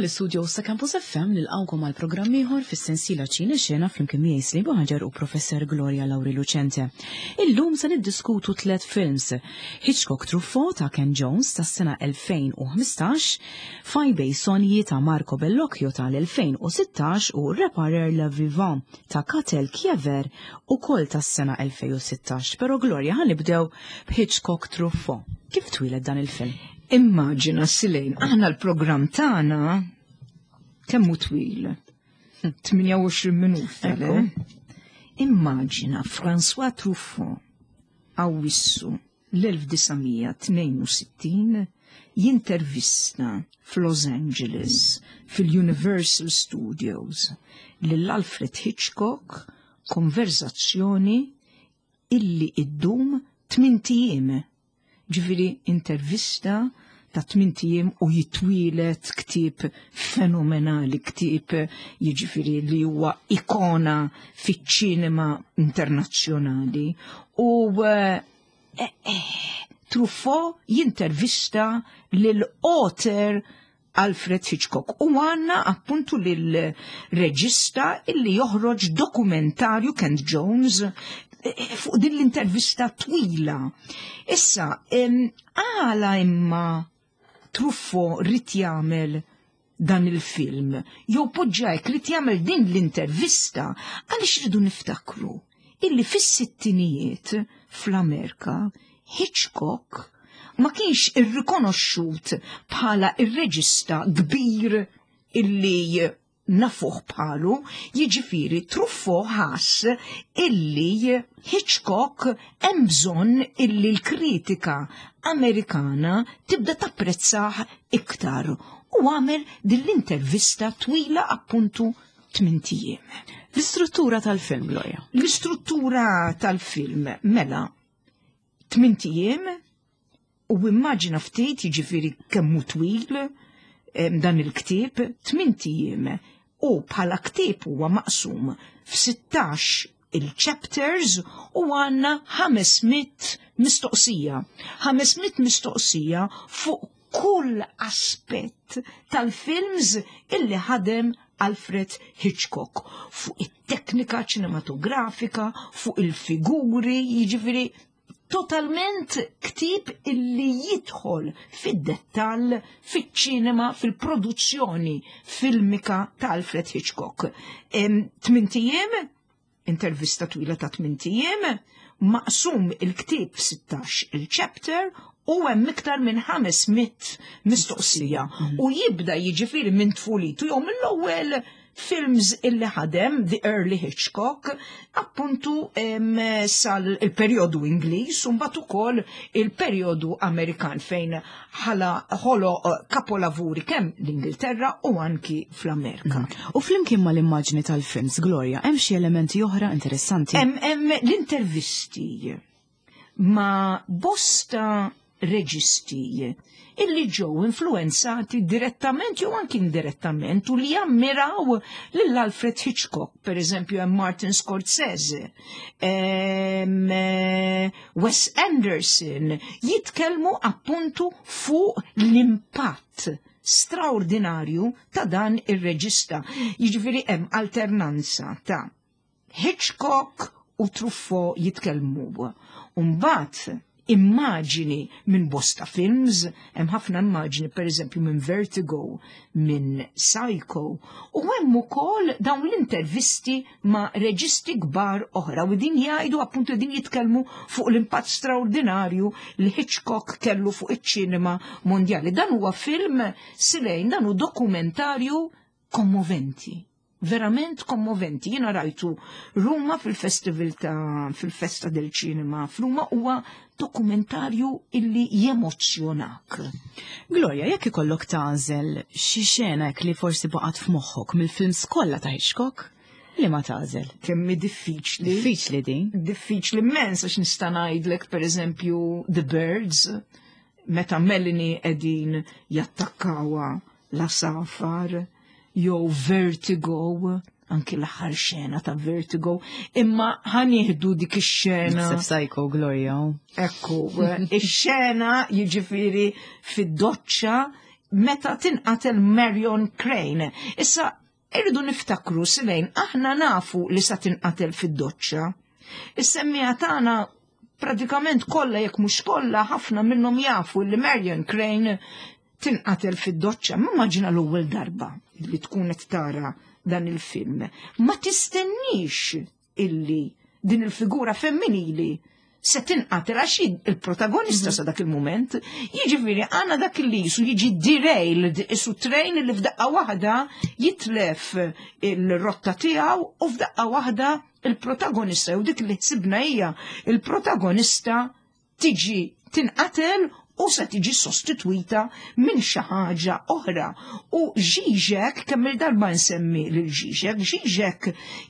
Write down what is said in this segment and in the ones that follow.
mill-istudio sa Campus FM nilqgħukom għal programm ieħor fis-sensiela Ċine Xena flimkien miegħi Slibu Ħaġar u Professor Gloria Lauri Lucente. Illum se niddiskutu tliet films: Hitchcock Truffaut ta' Ken Jones tas-sena 2015, Faj Bej Sonji ta' Marco Bellocchio tal-2016 u Reparer le Vivant ta' Katel Kiever ukoll tas-sena 2016. Però Gloria ħa nibdew b'Hitchcock Truffaut. Kif twieled dan il-film? Immaġina Silejn, aħna l-programm tagħna kemm hu twil? 28 minuta, le? Immaġina François Truffaut Awwissu l-1962 jintervista f'Los Angeles fil-Universal Studios lil Alfred Hitchcock konverżazzjoni illi iddum tmint ijiem, ġifieri intervista ta' tmint ijiem u jitwielet ktieb fenomenali, ktieb jiġifieri li huwa ikona fiċ-ċinema internazzjonali. U eh, eh, Truffaut jintervista lil author Alfred Hitchcock u għanna appuntu lil reġista illi joħroġ dokumentarju Kent Jones eh, eh, fuq din l-intervista twila. Issa, għala imma Truffo rrit jagħmel dan il-film, jew poġġajk rrit jagħmel din l-intervista għaliex rridu niftakru illi fis-sittinijiet fl-Amerika Hitchcock ma kienx irrikonoxxut bħala ir-reġista kbir illi nafuh bħalu, jiġifieri Truffaut ħass illi Hitchcock hemm bżonn illi l-kritika Amerikana tibda tapprezzah iktar u għamel din l-intervista twila appuntu tmint ijiem. L-istruttura tal-film, Gloria. L-istruttura tal-film, mela, tmint ijiem u immaġina ftit jiġifieri kemm hu twil dan il-ktieb, tmint ijiem u bħala ktieb huwa maqsum f'16 il-chapters u għandna 500 mistoqsija. 500 mistoqsija fuq kull aspett tal-films illi ħadem Alfred Hitchcock fuq it-teknika ċinematografika, fuq il-figuri, jiġifieri totalment ktieb illi jidħol fid-dettall fiċ-ċinema, fil-produzzjoni filmika ta' Alfred Hitchcock. Tmint ijiem, intervista twila ta' tmint ijiem, maqsum il-ktieb f'16 il-chapter u hemm iktar minn 500 mistoqsija u jibda jiġifieri minn tfulitu jew mill-ewwel films illi ħadem The Early Hitchcock appuntu sal il-perjodu Ingliż u mbagħad ukoll il-perjodu Amerikan fejn ħala ħolo eh, kapolavuri kemm l-Ingilterra u anki fl-Amerika. Mm. U flimkien mal-immaġni tal-films, Gloria, hemm xi elementi oħra interessanti? Hemm l-intervisti ma' bosta reġisti illi ġew influenzati direttament jew anki indirettament u li jammiraw lil Alfred Hitchcock, per eżempju hemm Martin Scorsese, eh, Wes Anderson, jitkellmu appuntu fuq l-impatt straordinarju ta' dan ir-reġista. Jiġifieri hemm alternanza ta' Hitchcock u Truffaut jitkellmu. U mbagħad immaġini minn bosta films, hemm ħafna immaġini pereżempju minn Vertigo, minn Psycho, u hemm ukoll dawn l-intervisti ma' reġisti kbar oħra u din jgħidu appuntu din jitkellmu fuq l-impatt straordinarju li Hitchcock kellu fuq iċ-ċinema mondjali. Dan huwa film silejn, dan hu dokumentarju kommoventi verament kommoventi. Jiena rajtu Ruma fil-festival ta' fil-festa del ċinema f'Ruma huwa dokumentarju illi jemozzjonak. Gloria, jekk ikollok tagħżel xi xena hekk li forsi baqgħet f'moħħok mill-films kollha ta' Hitchcock, li ma tagħżel? Kemm hi diffiċli. Diffiċli din. Diffiċli immens għax nista' ngħidlek pereżempju The Birds, meta Melanie qegħdin jattakkawha l-għasafar jew Vertigo, anki l-aħħar xena ta' Vertigo, imma ħanieħdu dik ix-xena. Naħseb Psycho Gloria. Ekku, ix-xena jiġifieri fid-doċċa. meta tinqatel Marion Crane. Issa, irridu niftakru silejn, aħna nafu li sa tinqatel fid-doċċa. Is-semmija tagħna pratikament kollha jekk mhux kollha ħafna minnhom jafu li Marion Crane tinqatel fid-doċċa. Ma immaġina l-ewwel darba li tkun qed tara dan il-film. Ma tistennix illi din il-figura femminili se tinqatel għax il-protagonista sa dak il-moment, jiġifieri għandna dak li jisu jiġi derailed, isu train li f'daqqa waħda jitlef il-rotta tiegħu u f'daqqa waħda il-protagonista u dik li ħsibna hija il-protagonista tiġi tinqatel u se tiġi sostitwita minn xi ħaġa oħra. U Žižek, kemm il-darba nsemmi lil Žižek, Žižek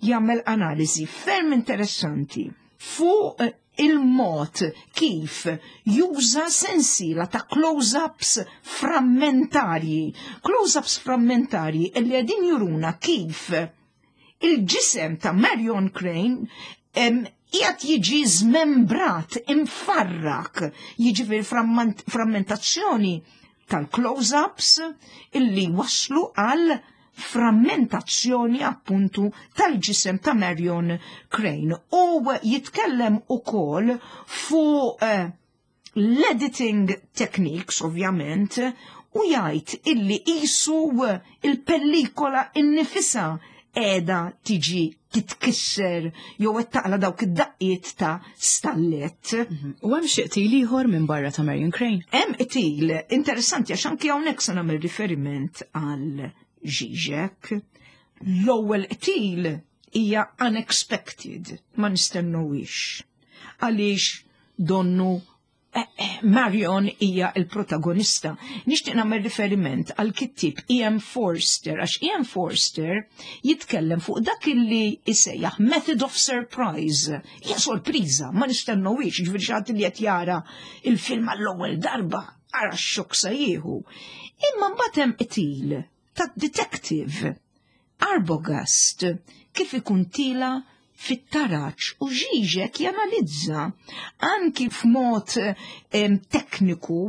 jagħmel analiżi ferm interessanti fuq il-mod kif juża sensiela ta' close-ups frammentarji. Close-ups frammentarji li qegħdin juruna kif il-ġisem ta' Marion Crane qiegħed jiġi żmembrat, imfarrak, jiġifieri frammentazzjoni tal-close-ups illi waslu għal frammentazzjoni appuntu tal-ġisem ta' Marion Crane. U jitkellem ukoll fuq l-editing techniques, ovvjament, u jgħid illi qisu il-pellikola innifisha qiegħda tiġi titkisser jew qed taqla dawk id-daqqiet ta' stallett. U hemm xi qtil ieħor minn barra ta' Marion Crane? Hemm qtil interessanti għax anki hawnhekk se nagħmel riferiment għal Žižek. L-ewwel qtil hija unexpected, ma nistennewix. Għaliex donnu Marion hija il-protagonista. Nixtieq nagħmel riferiment għal kittib E.M. Forster, għax E.M. Forster jitkellem fuq dak illi isejjaħ method of surprise. Hija sorpriża, ma nistennewix, ġifieri xi ħadd li qed jara il-film għall-ewwel darba, ara x-xokk se jieħu. Imma mbagħad hemm qtil ta' detective Arbogast kif ikun tila fit-taraċ u Žižek janalizza anki f'mod tekniku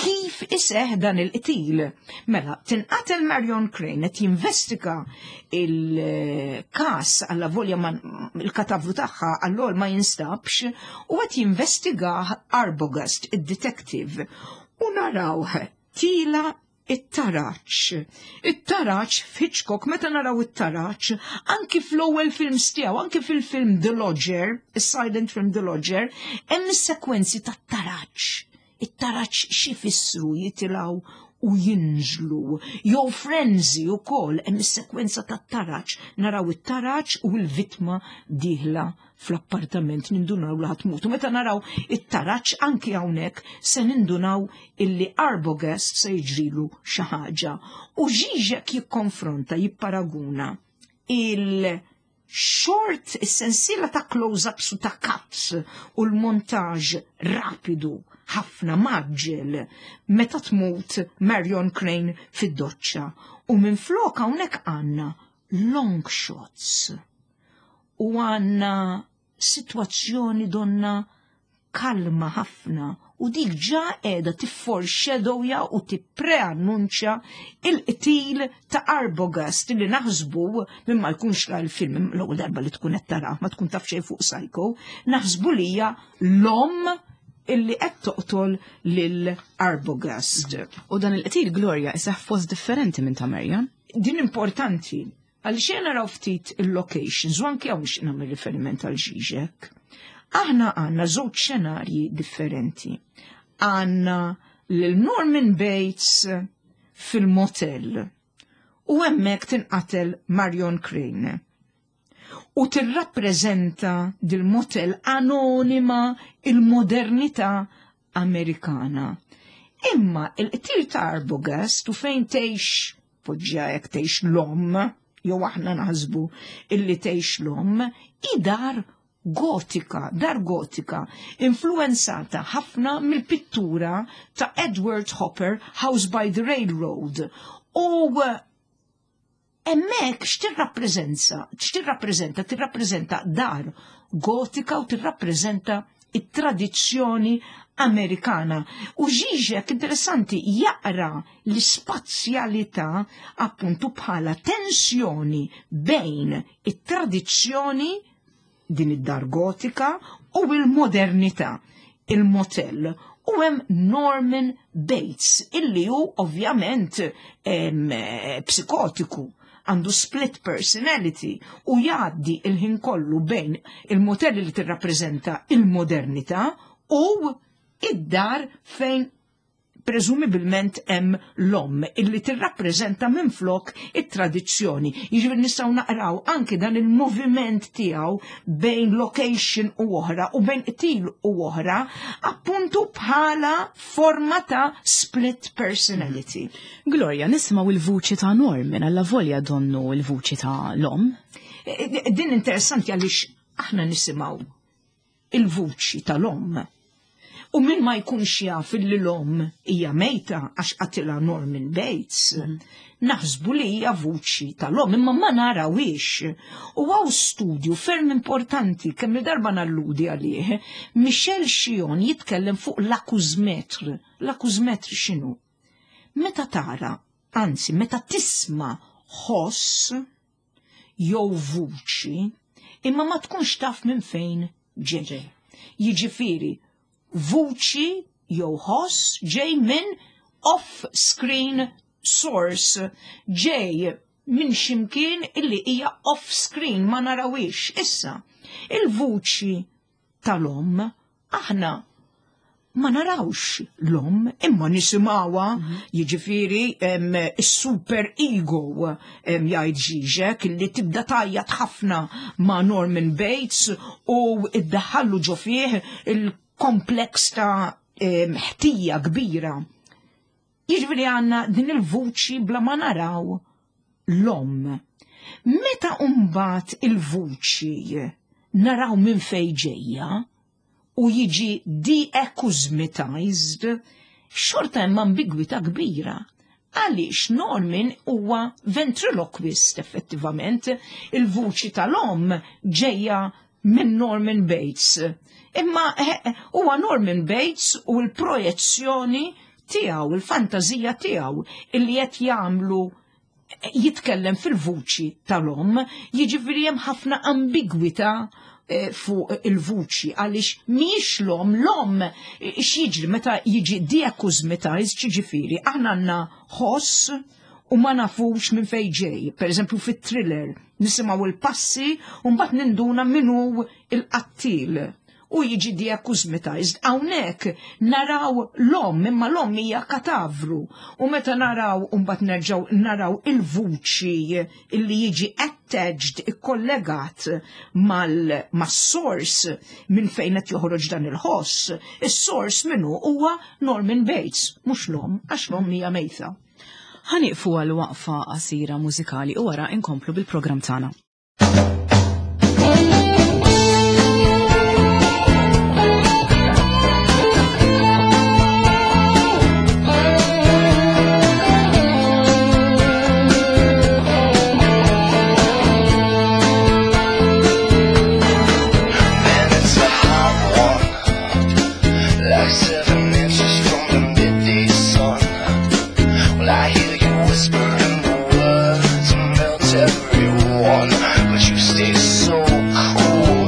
kif iseħ dan il-qtil. Mela, tinqatel Marion Crane qed jinvestiga il-kas għalla volja il-katavru tagħha għall ma jinstabx u qed jinvestiga Arbogast, id-detective, u naraw tila it-taraċ. It-taraċ f'Hitchcock, meta naraw it-taraċ, anki fl-ewwel films tiegħu, anki fil-film The Lodger, is-silent film The Lodger, hemm is-sekwenzi tat-taraċ. It-taraċ xi fissru jitilgħu u jinżlu. Jew Frenzy ukoll hemm is-sekwenza tat-taraċ, naraw it-taraċ u l-vittma dieħla fl-appartament nindunaw li ħa tmut. U meta naraw it-taraċ anki hawnhekk se nindunaw illi Arbogast se jiġrilu xi ħaġa. U Žižek jikkonfronta, jipparaguna il-short, is-sensiela ta' close-ups u ta' cuts u l-montaġ rapidu ħafna mgħaġġel meta tmut Marion Crane fid-doċċa. U minn flok hawnhekk għandna long shots u għandna situazzjoni donna kalma ħafna u dik ġa qiegħda tifforeshadowja u tippreannunċja il-qtil ta' Arbogast li naħsbu minn ma jkunx ra l-film l-ewwel darba li tkun qed tarah ma tkun taf xejn fuq Psycho, naħsbu li hija l-omm illi qed toqtol lil Arbogast. U dan il-qtil Gloria iseħ fost differenti minn ta' Marion. Din importanti għaliex jena naraw ftit il-locations u anke hawn nixtieq nagħmel riferiment għal Žižek. Aħna għandna żewġ xenarji differenti. Għandna lil Norman Bates fil-motel u hemmhekk tinqatel Marion Crane. U tirrappreżenta dil-motel anonima il-modernità Amerikana. Imma il-qtil ta' Arbogast u fejn tgħix poġġja jekk tgħix l-omm, jew aħna naħsbu illi tgħix l-omm, hi dar gotika, dar gotika, influenzata ħafna mill-pittura ta' Edward Hopper, House by the Railroad. U hemmhekk x'tirrappreżenta? X'tirrappreżenta? Tirrappreżenta dar gotika u tirrappreżenta it-tradizzjoni Amerikana. U Žižek interessanti jaqra l-ispazjalità appuntu bħala tensjoni bejn it-tradizzjoni din id-dar gotika u il-modernità, il-motel. U hemm Norman Bates illi hu ovvjament psikotiku, għandu split personality u jgħaddi il-ħin kollu bejn il-motel li tirrappreżenta il-modernità u id-dar fejn preżumibilment hemm l-omm illi tirrappreżenta minflok it-tradizzjoni. Jiġifieri nistgħu naqraw anki dan il-moviment tiegħu bejn location u oħra u bejn qtil u oħra appuntu bħala forma ta' split personality. Gloria, nisimgħu il-vuċi ta' Norman alla volja donnu il-vuċi ta' l-omm. Din interessanti għaliex aħna nisimgħu il-vuċi tal-omm. U min ma jkunx jaf li l-omm hija mejta għax qatilha Norman Bates, naħsbu li hija vuċi tal-omm, imma ma narawhiex. U hawn studju ferm importanti kemm il-darba nalludi għalih, Michel Chion jitkellem fuq l-acousmètre. L-acousmètre x'inhu? Meta tara, anzi meta tisma' ħoss jew vuċi, imma ma tkunx taf minn fejn ġej. Jiġifieri, vuċi jew ħoss ġej minn off-screen source, ġej minn ximkien illi hija off-screen ma narawhiex. Issa, il-vuċi tal-omm aħna ma narawx l-omm imma nisimgħuha, jiġifieri is-super ego jgħid Žižek li tibda tgħajjat ħafna ma' Norman Bates u iddaħħallu ġo fih il-kompleks ta' ħtija kbira. Jiġifieri għandna din il-vuċi bla ma naraw l-omm. Meta mbagħad il-vuċi naraw minn fejn ġejja u jiġi de-acousmatized, xorta hemm ambigwità kbira. Għaliex Norman huwa ventriloquist effettivament, il-vuċi tal-omm ġejja minn Norman Bates. Imma huwa Norman Bates u l-projezzjoni tiegħu, il-fantażija tiegħu illi qed jagħmlu jitkellem fil-vuċi tal-omm, jiġifieri hemm ħafna ambigwità fuq il-vuċi għaliex mhijiex l-omm, l-omm x'jiġri meta jiġi de-acousmatized, jiġifieri aħna għandna ħoss u ma nafux minn fejn ġej. Per eżempju fit-thriller nisimgħu il-passi u mbagħad ninduna min hu il-qattil u jiġi de-acousmatized. Hawnhekk naraw l-omm, imma l-omm hija katavru. U meta naraw u mbagħad nerġgħu naraw il-vuċi illi jiġi attached, ikkollegat mas-source minn fejn qed joħroġ dan il-ħoss. Is-source minnu huwa Norman Bates, mhux l-omm, għax l-omm hija mejta. Ħa nieqfu għal waqfa qasira mużikali u wara inkomplu bil-programm tagħna. Man, it's a hot one, like 7 inches from the midday sun. Well, I hear you whispering the words and melt everyone, but you stay so cool.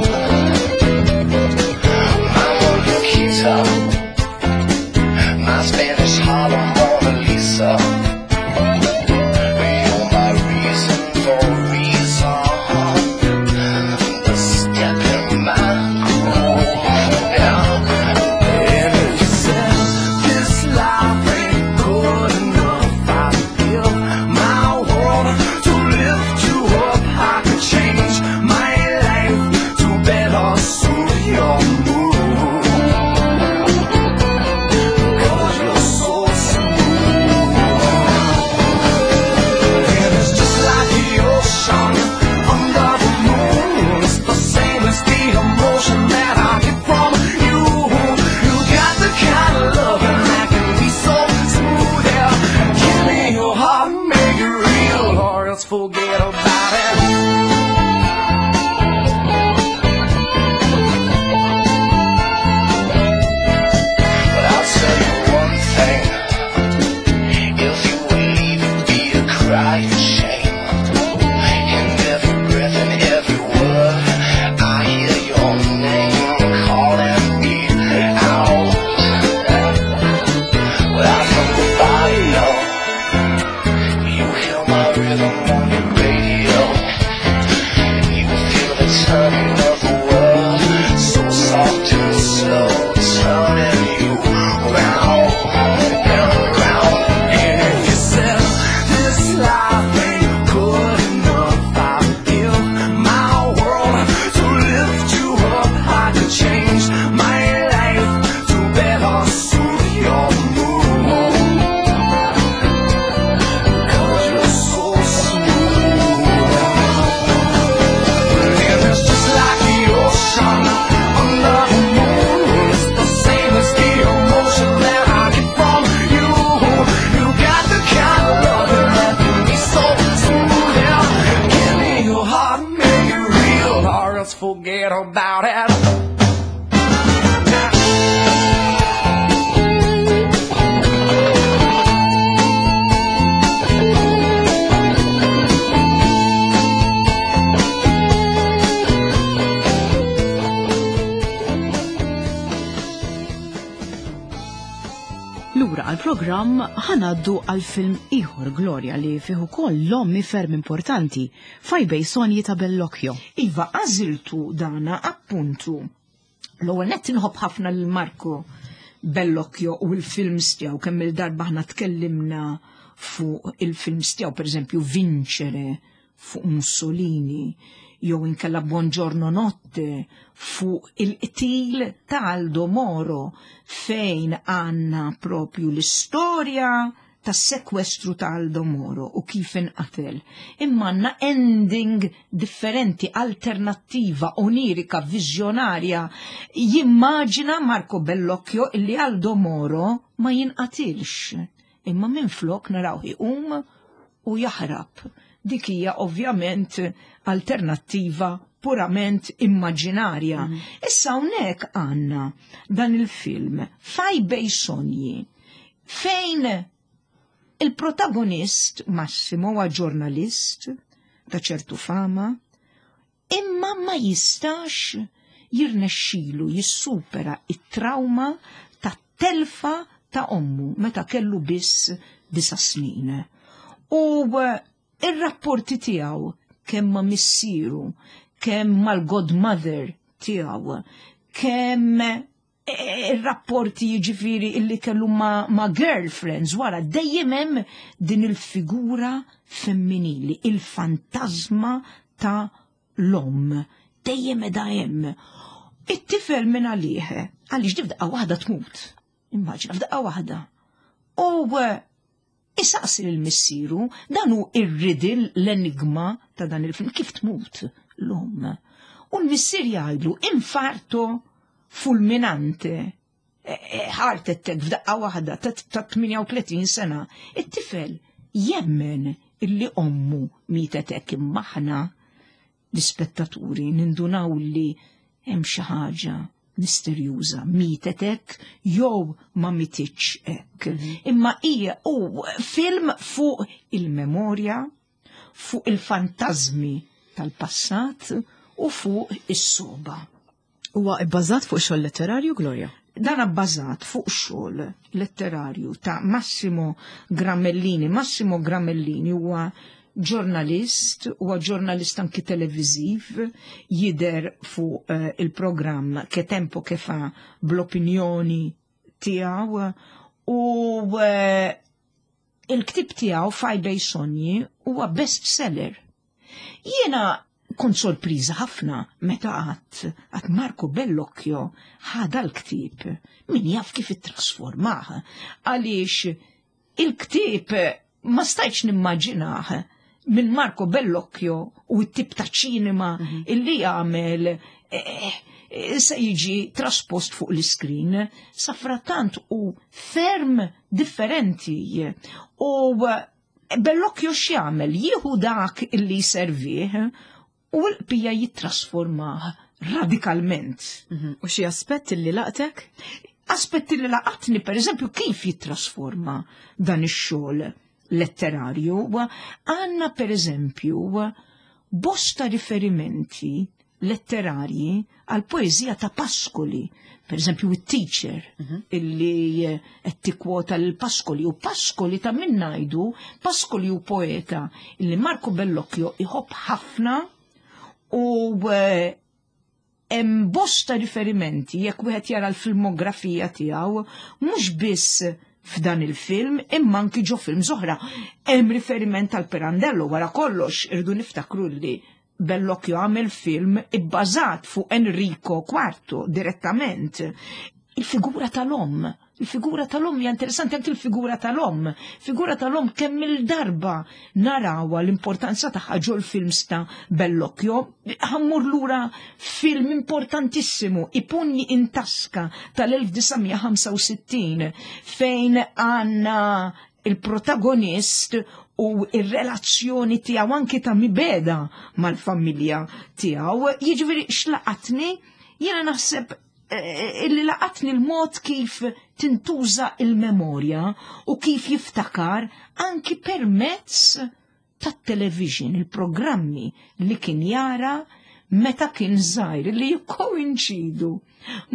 My Nikita, my Spanish Harlem Mona Lisa. You're my reason for reason. The step in my groove. Yeah. And if you said this life ain't good enough, I'd give my world to lift you up. I could change my life to better suit your mood. 'Cause you're so smooth. And it's just like the ocean under the moon. It's the same as the emotion that I get from you. You got the kind of loving that can be so smooth, yeah. Give me your heart, make it real, or else forget about it. Let's forget about it. Lura għal-programm ħanaddu għal film ieħor Gloria li fih ukoll l-ommi ferm importanti fajbej Sonji ta' Bellocchio. Iva, għażiltu dana appuntu. L-ewwel nett inħobb ħafna lil Marco Bellocchio u l-films tiegħu kemm il-darba aħna tkellimna fuq il-films tiegħu, pereżempju Vincere fuq Mussolini, jew inkella Buongiorno Notte fuq il-qtil ta' Aldo Moro fejn għandna propju l-istorja tas-sekwestru ta' Aldo Moro u kif inqatel. Imma għandna ending differenti, alternattiva, onirika, viżjonarja. Jimmaġina Marco Bellocchio illi Aldo Moro ma jinqatilx. Imma minflok narawh iqum u jaħrab. Dik hija ovvjament alternattiva purament immaġinarja. Issa hawnhekk għandna dan il-film Faj Bei Sogni fejn il-protagonist Massimo huwa ġurnalist ta' ċertu fama, imma ma jistax jirnexxilu jissupera it-trauma ta' telfa ta' ommu meta kellu biss 9 snin. U ir-rapporti tiegħu kemm ma' missieru, kemm mal-godmother tiegħu, kemm ir-rapporti jiġifieri illi kellu ma' girlfriends wara dejjem hemm din il-figura femminili, il-fantasma ta' l-omm, dejjem edha hemm. It-tifel minn għalih, għaliex di f'daqqa waħda tmut. Immaġina f'daqqa waħda. U isaqsi lil missieru, dan hu ir-riddle, l-enigma ta' dan il-film, kif tmut l-omm. U l-missier jgħidlu infarto fulminante, heart attack f'daqqa waħda ta' 38 sena. It-tifel jemmen illi ommu mietet hekk, imma aħna l-ispettaturi nindunaw li hemm xi ħaġa misterjuża, mietet hekk jew ma mititx hekk. Imma hija u film fuq il-memorja, fuq il-fantażmi tal-passat u fuq is-soba. Huwa bbażat fuq xogħol letterarju, Gloria? Dan bbażat fuq xogħol letterarju ta' Massimo Gramellini. Massimo Gramellini huwa ġurnalist, huwa ġurnalist anki televiżiv, jidher fuq il-programm Che Tempo Che Fa bl-opinjoni tiegħu u il-ktieb tiegħu Fai Bei Sogni huwa bestseller. Jiena kont sorpriża ħafna meta għat Marco Bellocchio ħada l-ktieb, min jaf kif ittrasformah, għaliex il-ktieb ma stajtx nimmaġinah minn Marco Bellocchio u t-tip ta' ċinema illi jagħmel se jiġi traspost fuq l-iskrin. Safrattant u ferm differenti. U Bellocchio x'jagħmel? Jieħu dak illi jservih u l-qbija jittrasformah radikalment. U xi aspett illi laqtek? Aspetti li laqatni, per eżempju, kif jittrasforma dan ix-xogħol letterarju. Għandna, per eżempju, bosta riferimenti letterarji għal poeżija ta' Pascoli, per eżempju, it-teacher illi qed tikkwota lil Pascoli, u Pascoli ta' min ngħidu, Pascoli u poeta illi Marco Bellocchio iħobb ħafna u hemm bosta riferimenti jekk wieħed jara l-filmografija tiegħu, mhux biss f'dan il-film imma anki ġo film oħra. Hemm riferiment għal Pirandello, wara kollox irdu niftakru li Bellocchio għamel film ibbażat fuq Enrico Quarto direttament. Il-figura tal-omm, il-figura tal-omm hija interessanti anki l-figura tal-omm. Figura tal-omm kemm il-darba narawha l-importanza tagħha ġol films ta' Bellocchio. Ħammur lura film importantissimu, I pugni in tasca tal-1965, fejn għandna il-protagonist u ir-relazzjoni tiegħu anki ta' mibeda mal-familja tiegħu. Jiġifieri x'laqatni, jiena naħseb eh, illi laqatni l-mod kif tintuża il-memorja u kif jiftakar anki permezz tat-television, il-programmi li kien jara meta kien żgħir li jikkoinċidu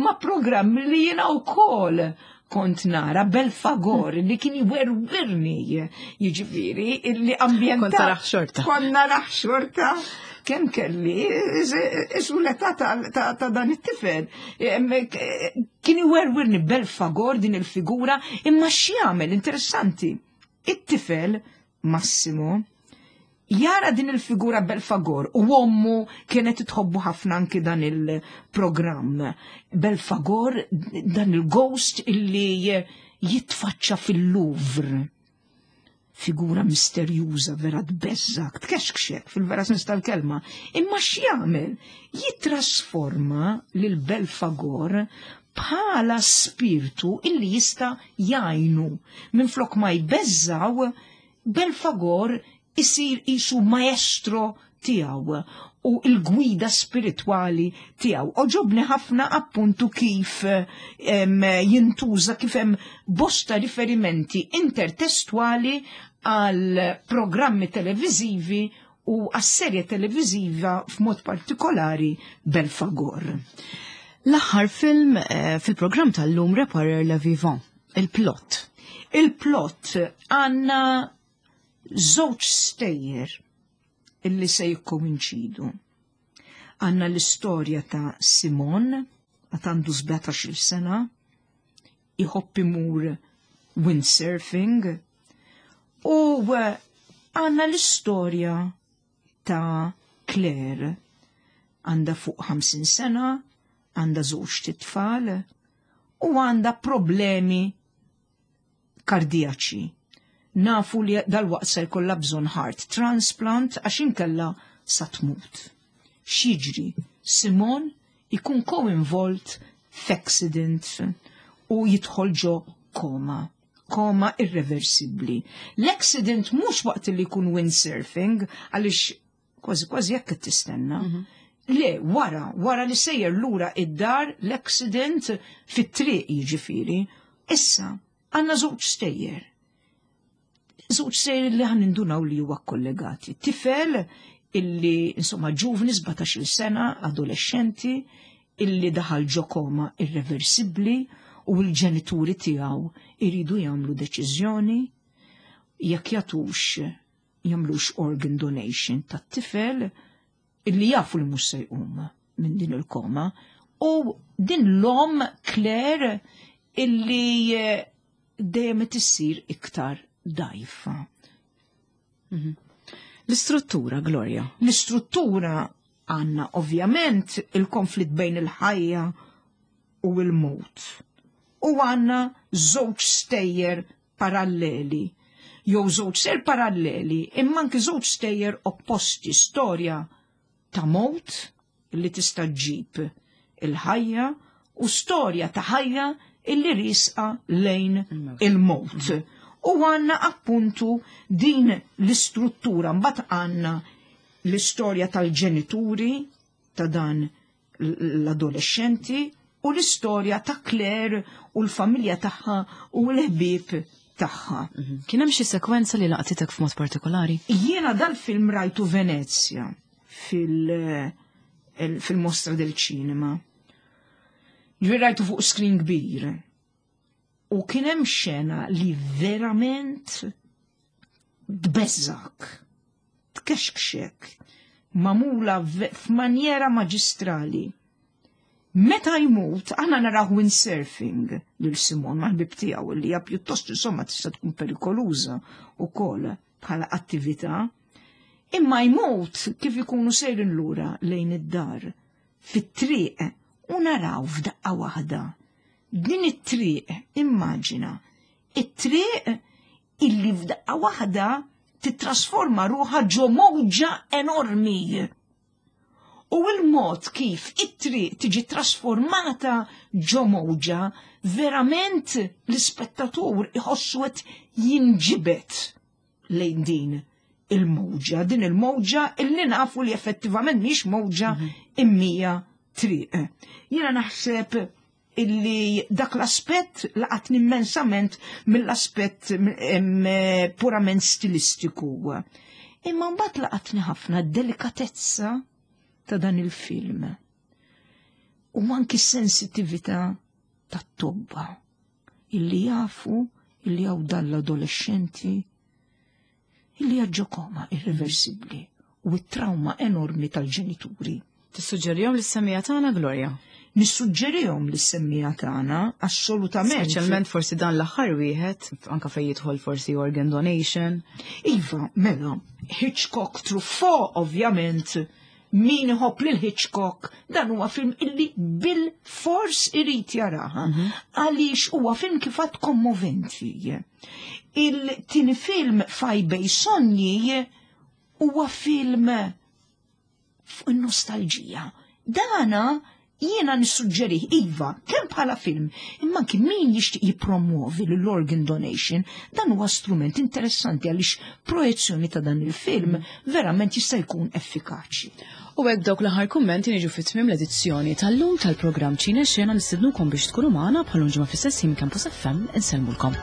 ma' programmi li jiena wkoll kont nara Belfagor li kien jwerwirni jiġifieri li ambjent. Kont naraħ xorta. Kont naraħ xorta kemm kelli isu l-età ta' dan it-tifel. Kien jwerwirni Belfagor din il-figura imma x'jagħmel interessanti. It-tifel Massimo jara din il-figura Belfagor u ommu kienet tħobbu ħafna anki dan il-programm. Belfagor, dan il-ghost illi jitfaċċa fil-Louvre. Figura misterjuża vera tbeżżak, tkexkxek fil-vera sens tal-kelma. Imma x'jagħmel? Jitrasforma lil Belfagor bħala spirtu illi jista' jgħinu. Minflok ma jbeżżaw, Belfagor isir qisu maestro tiegħu u l-gwida spiritwali tiegħu. Oġobni ħafna appuntu kif jintuża kif hemm bosta riferimenti intertestwali għal programmi televiżivi u għas-serje televiżiva f'mod partikolari Belfagor. L-aħħar film eh, fil-programm tal-lum Reparer Le Vivant, il-plot. Il-plot għanna żewġ stejjer illi se jikkoinċidu. Għanna l-istorja ta' Simon, għat għandu 17 sena, iħobb imur windsurfing, u eh, għanna l-istorja ta' Claire, għanda fuq 50 sena, għanda żewġ titfal u għanda problemi kardijaċi. Nafu li dal-waqt se jkollha bżonn heart transplant għax inkella sa tmut. X'jiġri? Simon ikun co-involved f'accident u jidħol ġo koma koma irreversibbli. L-accident mhux waqt li jkun windsurfing għaliex kważi kważi jekk qed tistenna. Mhm. Le, wara, wara li sejjer lura id-dar l-accident fit-triq jiġifieri. Issa, għandna żewġ stejjer. Żewġ stejjer li ħan indunaw li huwa kollegati. Tifel illi insomma ġuvni 17-il sena, adolescenti, illi daħal ġo koma irreversibbli u l-ġenituri tiegħu iridu jagħmlu deċiżjoni jekk jagħtux jagħmlux organ donation tat-tifel illi jafu li mhux se jqum minn din il-koma u din l-om Claire illi eh, dejjem qed issir iktar dajfa. Mhm. L-istruttura, Gloria. L-istruttura għanna ovvjament il-konflitt bejn il-ħajja u l-mot. U għanna żewġ stejjer paralleli. Jew żewġ stejjer paralleli, imma anki żewġ stejjer opposti, storja ta' mot li tista' ġġib il-ħajja u storja ta' ħajja illi risqa lejn il-mot. U għanna appuntu din l-istruttura, mbagħad għanna l-istorja tal-ġenituri ta' dan l-adolescenti u l-istorja ta' Claire u l-familja tagħha u l-ħbieb tagħha. Mhm. Kien hemm xi sekwenza li laqtitek f'mod partikolari? Jiena dal-film rajtu Venezja fil-mostra del ċinema. Ġifieri rajtu fuq screen kbir. U kien hemm xena li verament tbeżżak, tkexkxek, mamula f'manjera maġistrali. Meta jmut, aħna naraw windsurfing lil Simon mal-ħbib tiegħu li hija pjuttost insomma tista' tkun perikoluża wkoll bħala attività. Imma jmut kif ikunu sejrin lura lejn id-dar fit-triq u naraw f'daqqa waħda. Din it-triq, immaġina, it-triq illi f'daqqa waħda titrasforma ruħha ġo mowġa enormi. U l-mod kif it-triq tiġi trasformata ġo mowġa, verament l-ispettatur iħossu qed jinġibed. lejn din il-mowġa, din il-mowġa illi nafu li effettivament mhix mowġa immija triq. Jiena naħseb illi dak l-aspett laqatni immensament mill-aspett purament stilistiku. Imma mbagħad laqatni ħafna d-delikatezza ta' dan il-film. U anki s-sensitività tat-tobba illi jafu illi hawn dan l-adolescenti illi għadġo koma irreversibbli u t-trauma enormi tal-ġenituri. Tissuġġerihom lis-semmiegħa tagħna, Gloria? Nissuġġerihom lis-semmiegħa tagħna, assolutament. Speċjalment forsi dan l-aħħar wieħed, anka fejn jidħol forsi organ donation. Iva, mela, Hitchcock Truffaut ovvjament min iħobb lil Hitchcock dan huwa film illi bil-fors irid jaraha għaliex huwa film kif għad kommoventi. Il-tieni film Faj Bej Sogni huwa film fuq in-nostalġija. Dana jiena nissuġġerih iva, kemm bħala film, imma anki min jixtieq jippromuovi l-organ donation, dan huwa strument interessanti għaliex projezzjoni ta' dan il-film verament jista' jkun effikaċi. U hekk dawk l-aħħar kummenti niġu fi tmiem l-edizzjoni tal-lum tal-programm Ċine Xena nistednukom biex tkunu magħna bħal ġimgħa fl-istess ħin Campus FM insellmulkom.